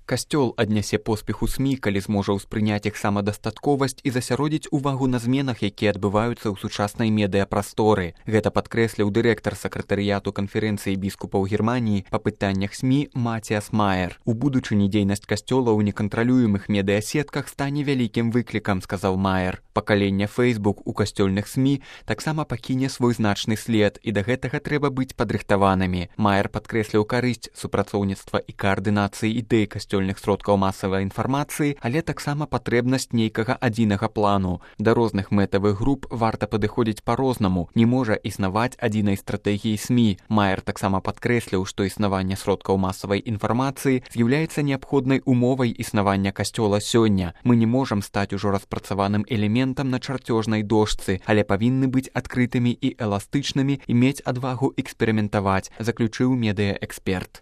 Касцёл аднясе поспеху СМІ, калі зможа ўспрыняць іх самадастатковасць і засяродзіць увагу на зменах, якія адбываюцца ў сучаснай медыяпрасторы. Гэта падкрэсліў дырэктар сакратарыяту канферэнцыі біскупаў Германіі па пытаннях СМІ Матіас Маер. У будучыні дзейнасць касцёла ў некантралюемых медыасетках стане вялікім выклікам, сказаў Маер. Пакаленне Facebook у касцёльных СМІ таксама пакіне свой значны след, і да гэтага трэба быць падрыхтаванымі. Маер падкрэсліў карысць супрацоўніцтва і каардынацыі ідэй касцёльных сродкаў масавай інфармацыі, але таксама патрэбнасць нейкага адзінага плану. Да розных мэтавых груп варта падыходзіць па-рознаму, не можа існаваць адзінай стратэгіі СМІ. Маер таксама падкрэсліў, што існаванне сродкаў масавай інфармацыі з'яўляецца неабходнай умовай існавання касцёла сёння. Мы не можам стаць ужо распрацаваным элементам на чарцёжнай дошцы, але павінны быць адкрытымі і эластычнымі і мець адвагу эксперыментаваць, заключыў медыаэксперт.